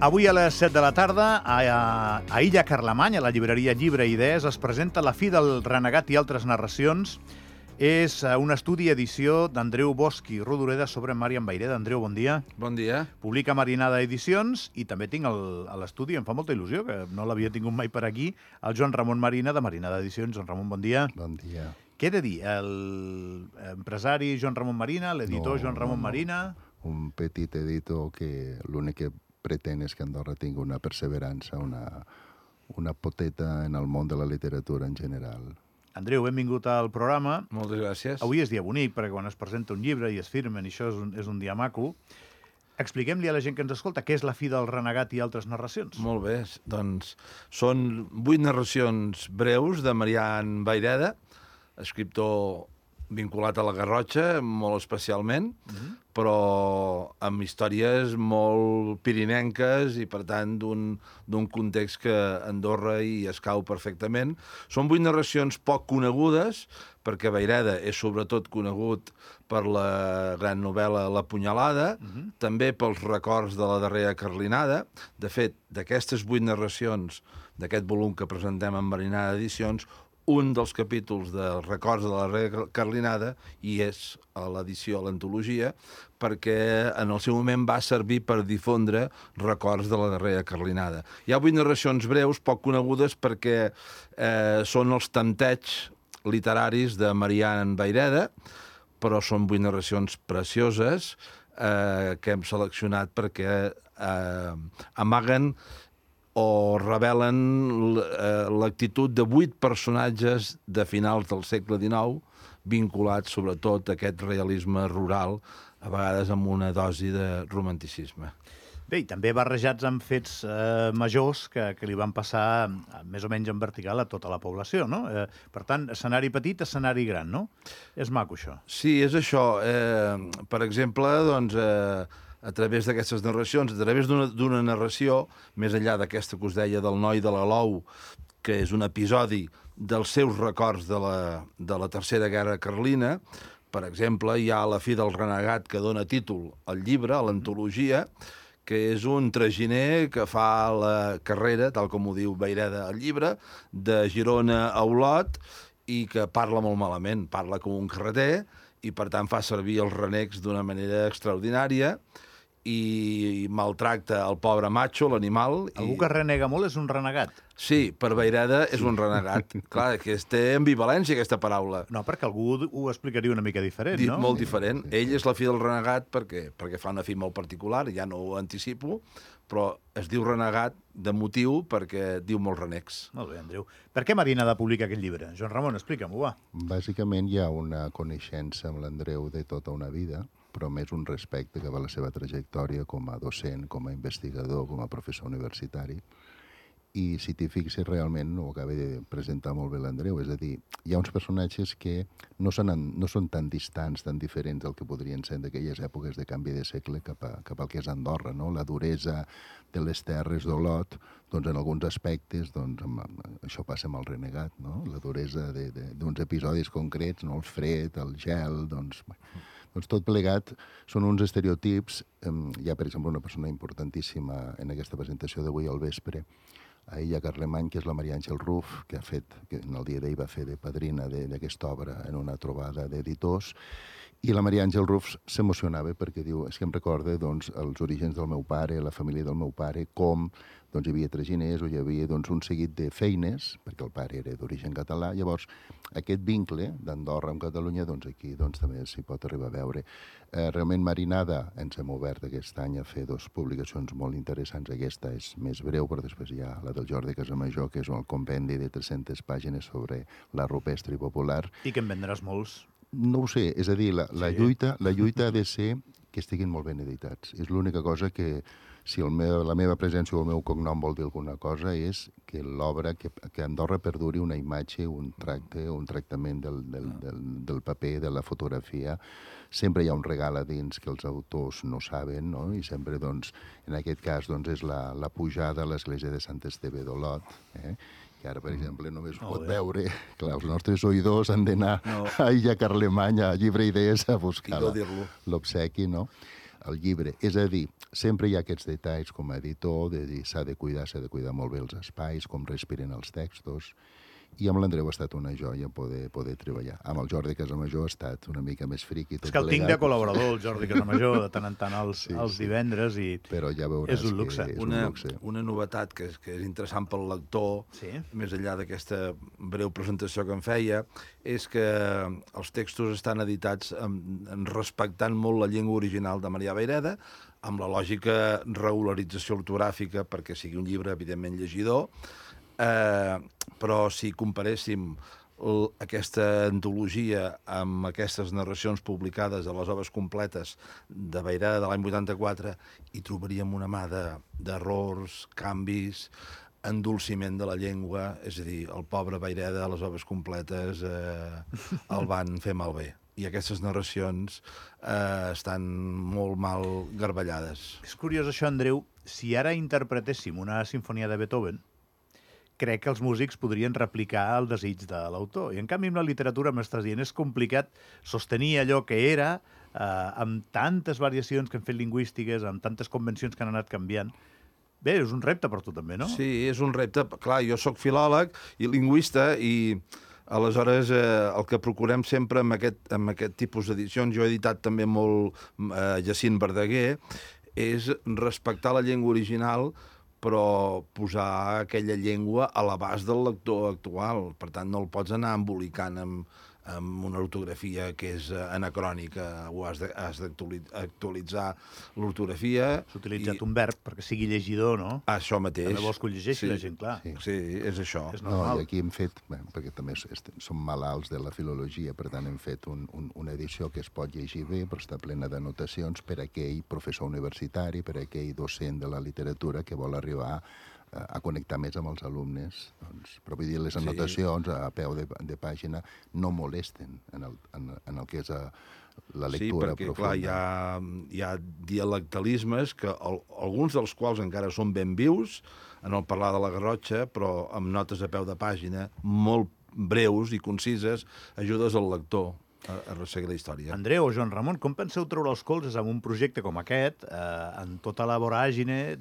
Avui a les 7 de la tarda, a Illa Carlemany, a la llibreria Llibre i Idees, es presenta La fi del renegat i altres narracions. És un estudi i edició d'Andreu Bosch i Rodoreda sobre Màrian Vayreda. Andreu, bon dia. Bon dia. Publica Marinada Edicions i també tinc a l'estudi, em fa molta il·lusió, que no l'havia tingut mai per aquí, el Joan Ramon Marina, de Marinada Edicions. Joan Ramon, bon dia. Bon dia. Què he de dir? L'empresari Joan Ramon Marina, l'editor Joan Ramon Marina... Un petit editor que l'únic que pretén és que Andorra tingui una perseverança, una poteta en el món de la literatura en general. Andreu, benvingut al programa. Moltes gràcies. Avui és dia bonic, perquè quan es presenta un llibre i es firmen, i això és un dia maco. Expliquem-li a la gent que ens escolta què és La fi del renegat i altres narracions. Molt bé, doncs són 8 narracions breus de Marian Vayreda, escriptor vinculat a la Garrotxa, molt especialment, però amb històries molt pirinenques i, per tant, d'un context que Andorra hi escau perfectament. Són 8 narracions poc conegudes, perquè Vayreda és sobretot conegut per la gran novel·la La punyalada, també pels records de la darrera Carlinada. De fet, d'aquestes 8 narracions d'aquest volum que presentem en Marinada Edicions, un dels capítols dels records de la darrera Carlinada i és a l'edició, a l'antologia, perquè en el seu moment va servir per difondre records de la darrera Carlinada. Hi ha 8 narracions breus, poc conegudes, perquè són els tempteig literaris de Marian Vayreda, però són 8 narracions precioses que hem seleccionat perquè amaguen o revelen l'actitud de 8 personatges de finals del segle XIX vinculats sobretot a aquest realisme rural, a vegades amb una dosi de romanticisme. Bé, i també barrejats amb fets majors que li van passar més o menys en vertical a tota la població, no? Per tant, escenari petit, escenari gran, no? És maco, això. Sí, és això. Per exemple, doncs, a través d'aquestes narracions, a través d'una narració, més enllà d'aquesta que us deia del noi de l'Alou, que és un episodi dels seus records de la Tercera Guerra Carlina, per exemple, hi ha La fi del renegat, que dona títol al llibre, a l'antologia, que és un traginer que fa la carrera, tal com ho diu Vayreda al llibre, de Girona a Olot, i que parla molt malament, parla com un carreter, i per tant fa servir els renecs d'una manera extraordinària, i maltracta el pobre macho, l'animal. Algú que renega molt és un renegat. Sí, per Vayreda és un renegat. Clar, que té ambivalència, aquesta paraula. No, perquè algú ho explicaria una mica diferent, no? Molt diferent. Ell és la fi del renegat perquè fa una fi molt particular, ja no ho anticipo, però es diu renegat de motiu perquè diu molts renecs. Molt bé, Andreu. Per què Marinada publica aquest llibre? Joan Ramon, explica'm-ho, va. Bàsicament hi ha una coneixença amb l'Andreu de tota una vida, però més un respecte cap a la seva trajectòria com a docent, com a investigador, com a professor universitari. I si t'hi fixes, realment ho acaba de presentar molt bé l'Andreu, és a dir, hi ha uns personatges que no són tan distants, tan diferents del que podrien ser d'aquelles èpoques de canvi de segle cap al que és Andorra, no? La duresa de les terres d'Olot, doncs en alguns aspectes, doncs, això passa amb el renegat, no? La duresa d'uns episodis concrets, no? El fred, el gel, doncs tot plegat són uns estereotips. Hi ha, per exemple, una persona importantíssima en aquesta presentació d'avui al vespre, a Illa Carlemany, que és la Maria Àngel Ruf, que en el dia d'ahir va fer de padrina d'aquesta obra en una trobada d'editors, i la Maria Àngel Ruf s'emocionava perquè diu, és que em recorda doncs, els orígens del meu pare, la família del meu pare, com doncs, hi havia traginers o hi havia doncs, un seguit de feines, perquè el pare era d'origen català. Llavors, aquest vincle d'Andorra amb Catalunya, doncs, aquí doncs, també s'hi pot arribar a veure. Realment, Marinada, ens hem obert aquest any a fer 2 publicacions molt interessants. Aquesta és més breu, però després hi ha la del Jordi Casamajor, que és el compendi de 300 pàgines sobre l'art rupestre i popular. I que en vendràs molts. No ho sé, és a dir, la lluita ha de ser que estiguin molt ben editats. És l'única cosa que, si la meva presència o el meu cognom vol dir alguna cosa, és que l'obra, que Andorra perduri una imatge, un tractament del paper, de la fotografia. Sempre hi ha un regal a dins que els autors no saben, no? I sempre, doncs, en aquest cas, doncs, és la pujada a l'església de Sant Esteve d'Olot, que ara, per exemple, només ho pot veure. Clar, els nostres oïdors han d'anar a Illa Carlemany, a Llibre Idees, a buscar l'obsequi, no? el llibre. És a dir, sempre hi ha aquests detalls com a editor, de dir s'ha de cuidar molt bé els espais, com respiren els textos, i amb l'Andreu ha estat una joia poder treballar. Amb el Jordi Casamajor ha estat una mica més friqui. És que el tinc de col·laborador, el Jordi Casamajor, de tant en tant els divendres, i però ja veuràs és un luxe. Que és un luxe. Una novetat que és interessant pel lector, més enllà d'aquesta breu presentació que em feia, és que els textos estan editats respectant molt la llengua original de Maria Vayreda, amb la lògica regularització ortogràfica perquè sigui un llibre, evidentment, llegidor, però si comparéssim aquesta antologia amb aquestes narracions publicades a les obres completes de Vayreda de l'any 84, hi trobaríem una mà d'errors, canvis, endolciment de la llengua, és a dir, el pobre Vayreda a les obres completes el van fer malbé. I aquestes narracions estan molt mal garballades. És curiós això, Andreu. Si ara interpretéssim una sinfonia de Beethoven, crec que els músics podrien replicar el desig de l'autor. I en canvi amb la literatura, m'estàs dient, és complicat sostenir allò que era amb tantes variacions que hem fet lingüístiques, amb tantes convencions que han anat canviant. Bé, és un repte per tu també, no? Sí, és un repte. Clar, jo sóc filòleg i lingüista i aleshores el que procurem sempre amb aquest tipus d'edicions, jo he editat també molt Jacint Verdaguer, és respectar la llengua original però posar aquella llengua a l'abast del lector actual. Per tant, no el pots anar embolicant amb una ortografia que és anacrònica, o has d'actualitzar l'ortografia. S'ha utilitzat un verb perquè sigui llegidor, no? Això mateix. També vols que ho llegeixi la gent, clar. Sí, és això. És normal. I aquí hem fet, perquè també som malalts de la filologia, per tant hem fet una edició que es pot llegir bé, però està plena d'anotacions per a aquell professor universitari, per a aquell docent de la literatura que vol arribar a connectar més amb els alumnes. Doncs, però vull dir, les anotacions a peu de pàgina no molesten en el que és la lectura profunda. Sí, perquè clar, hi ha dialectalismes, que alguns dels quals encara són ben vius, en el parlar de la Garrotxa, però amb notes a peu de pàgina, molt breus i concises, ajudes al lector a resseguir la història. Andreu o Joan Ramon, com penseu treure els colzes amb un projecte com aquest, en tota la voràgine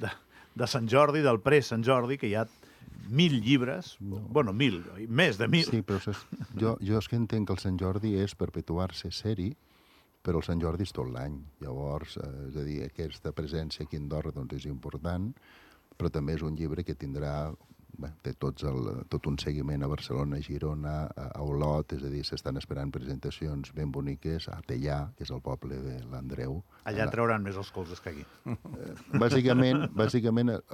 de Sant Jordi, del pre-Sant Jordi, que hi ha 1.000 llibres, bueno, 1.000, més de 1.000. Sí, però jo és que entenc que el Sant Jordi és perpetuar-se seri, però el Sant Jordi és tot l'any. Llavors, és a dir, aquesta presència aquí a Andorra doncs, és important, però també és un llibre que tindrà té tot un seguiment a Barcelona, a Girona, a Olot, és a dir, s'estan esperant presentacions ben boniques, a Tellà, que és el poble de l'Andreu. Allà trauran més els colzes que aquí. Bàsicament,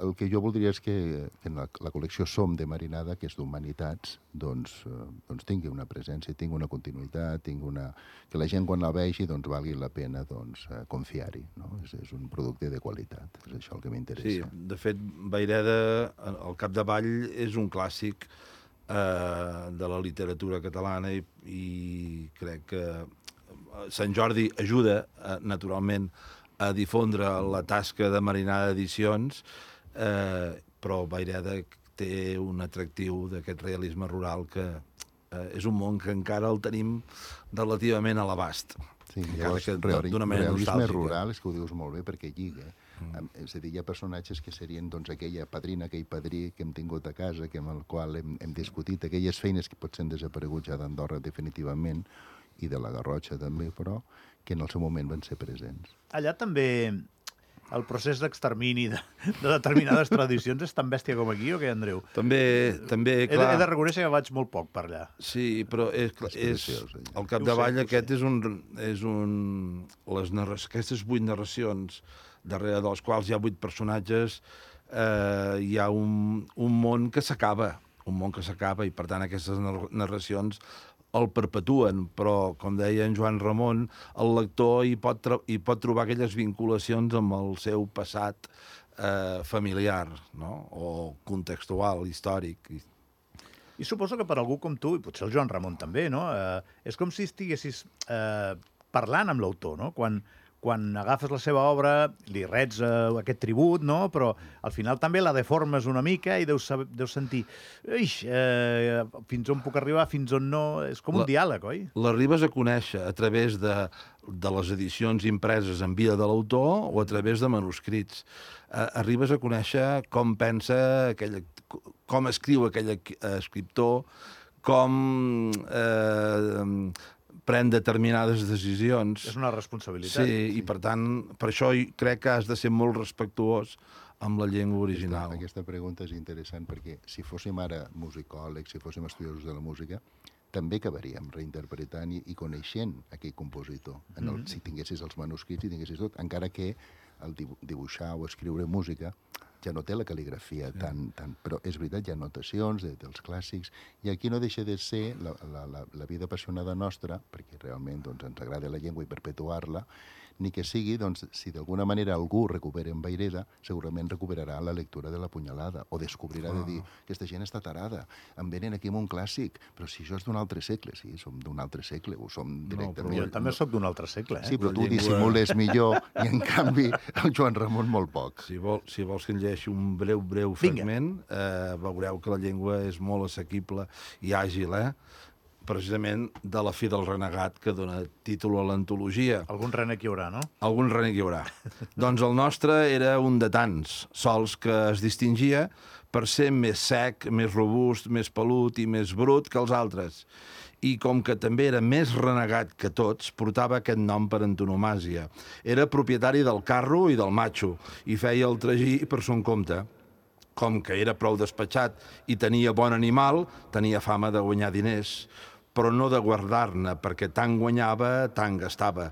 el que jo voldria és que en la col·lecció Som de Marinada, que és d'Humanitats, doncs tingui una presència, tingui una continuïtat, que la gent quan la vegi doncs, valgui la pena confiar-hi. No? És un producte de qualitat, és això el que m'interessa. Sí, de fet, Vayreda, al capdavall, és un clàssic de la literatura catalana i crec que Sant Jordi ajuda, naturalment, a difondre la tasca de Marinada Edicions, però Vayreda té un atractiu d'aquest realisme rural que és un món que encara el tenim relativament a l'abast. Sí, llavors, realisme rural, és que ho dius molt bé, perquè lliga. És a dir, hi ha personatges que serien aquella padrina, aquell padrí que hem tingut a casa, amb el qual hem discutit, aquelles feines que potser han desaparegut ja d'Andorra definitivament, i de la Garrotxa també, però que en el seu moment van ser presents. Allà també el procés d'extermini de determinades tradicions és tan bèstia com aquí, o què, Andreu? També, clar... He de reconèixer que vaig molt poc per allà. Sí, però al capdavall aquest aquestes 8 narracions, darrere dels quals hi ha 8 personatges, hi ha un món que s'acaba, i per tant aquestes narracions el perpetuen, però, com deia en Joan Ramon, el lector hi pot trobar aquelles vinculacions amb el seu passat familiar, no? O contextual, històric. I suposo que per algú com tu, i potser el Joan Ramon també, no? És com si estiguessis parlant amb l'autor, no? Quan quan agafes la seva obra, li rets aquest tribut, no? Però al final també la deformes una mica i deus sentir fins on puc arribar, fins on no... És com un diàleg, oi? L'arribes a conèixer a través de les edicions impreses en vida de l'autor o a través de manuscrits. Arribes a conèixer com pensa, com escriu aquell escriptor, com pren determinades decisions. És una responsabilitat. Sí, i per tant, per això crec que has de ser molt respectuós amb la llengua original. Aquesta pregunta és interessant perquè si fóssim ara musicòlegs, si fóssim estudiosos de la música, també acabaríem reinterpretant i coneixent aquell compositor. Si tinguessis els manuscrits i tinguessis tot, encara que el dibuixar o escriure música ja no té la cal·ligrafia tan... Però és veritat, hi ha notacions dels clàssics, i aquí no deixa de ser la vida apassionada nostra, perquè realment ens agrada la llengua i perpetuar-la, ni que sigui, si d'alguna manera algú recupera en Vayreda, segurament recuperarà la lectura de la Punyalada, o descobrirà de dir, aquesta gent està tarada, em venen aquí amb un clàssic, però si això és d'un altre segle, sí, som d'un altre segle, ho som directament. Jo també sóc d'un altre segle, Sí, però tu dissimules millor, i en canvi el Joan Ramon molt poc. Si vols que en llegeixi un breu fragment, veureu que la llengua és molt assequible i àgil, precisament de La fi del renegat, que dona títol a l'antologia. Algun renec hi haurà, no? Algun renec hi haurà. Doncs el nostre era un de tants, sols que es distingia per ser més sec, més robust, més pelut i més brut que els altres. I com que també era més renegat que tots, portava aquest nom per antonomàsia. Era propietari del carro i del matxo, i feia el tragí per son compte. Com que era prou despatxat i tenia bon animal, tenia fama de guanyar diners, però no de guardar-ne, perquè tant guanyava, tant gastava.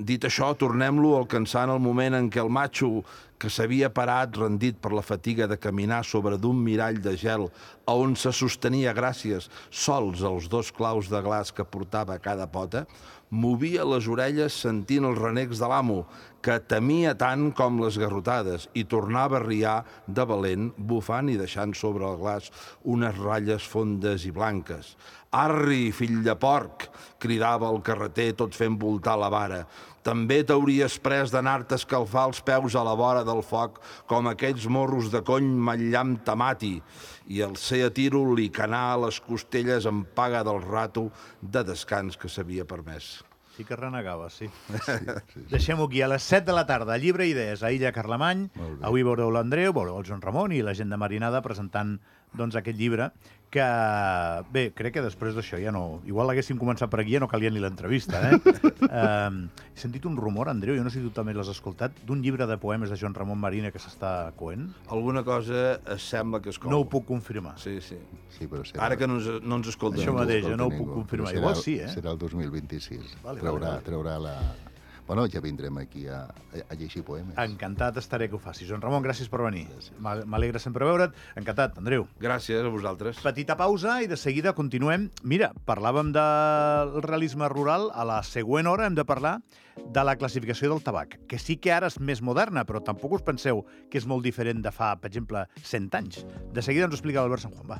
Dit això, tornem-lo alcançant el moment en què el matxo, que s'havia parat rendit per la fatiga de caminar sobre d'un mirall de gel a on se sostenia gràcies sols als 2 claus de glaç que portava a cada pota, movia les orelles sentint els renecs de l'amo, que temia tant com les garrotades, i tornava a riar de valent, bufant i deixant sobre el glaç unes ratlles fondes i blanques. «Arri, fill de porc!», cridava el carreter tot fent voltar la vara. «També t'hauries pres d'anar-te a escalfar els peus a la vora del foc com aquells morros de cony matllam tamati». I el ser a tiro li canà a les costelles en paga del rato de descans que s'havia permès. Sí que renegava, sí. Deixem-ho aquí. A les 7 de la tarda, Llibre i Idees, a Illa Carlemany. Avui veureu l'Andreu, veureu el Joan Ramon i la gent de Marinada presentant aquest llibre, que, bé, crec que després d'això ja no... Igual l'haguéssim començat per aquí, ja no calia ni l'entrevista, He sentit un rumor, Andreu, jo no sé si tu també l'has escoltat, d'un llibre de poemes de Joan Ramon Marina que s'està coent. Alguna cosa es sembla que es cou. No ho puc confirmar. Sí. Sí, però serà... Ara que no ens escolten. Això mateix, jo no ho puc confirmar. Igual sí, Serà el 2026. Vale. Traurà la... Bueno, ja vindrem aquí a llegir poemes. Encantat estaré que ho facis. Joan Ramon, gràcies per venir. M'alegra sempre veure't. Encantat, Andreu. Gràcies a vosaltres. Petita pausa i de seguida continuem. Mira, parlàvem del realisme rural. A la següent hora hem de parlar de la classificació del tabac, que sí que ara és més moderna, però tampoc us penseu que és molt diferent de fa, per exemple, 100 anys. De seguida ens ho explica l'Albert San Juan. Va.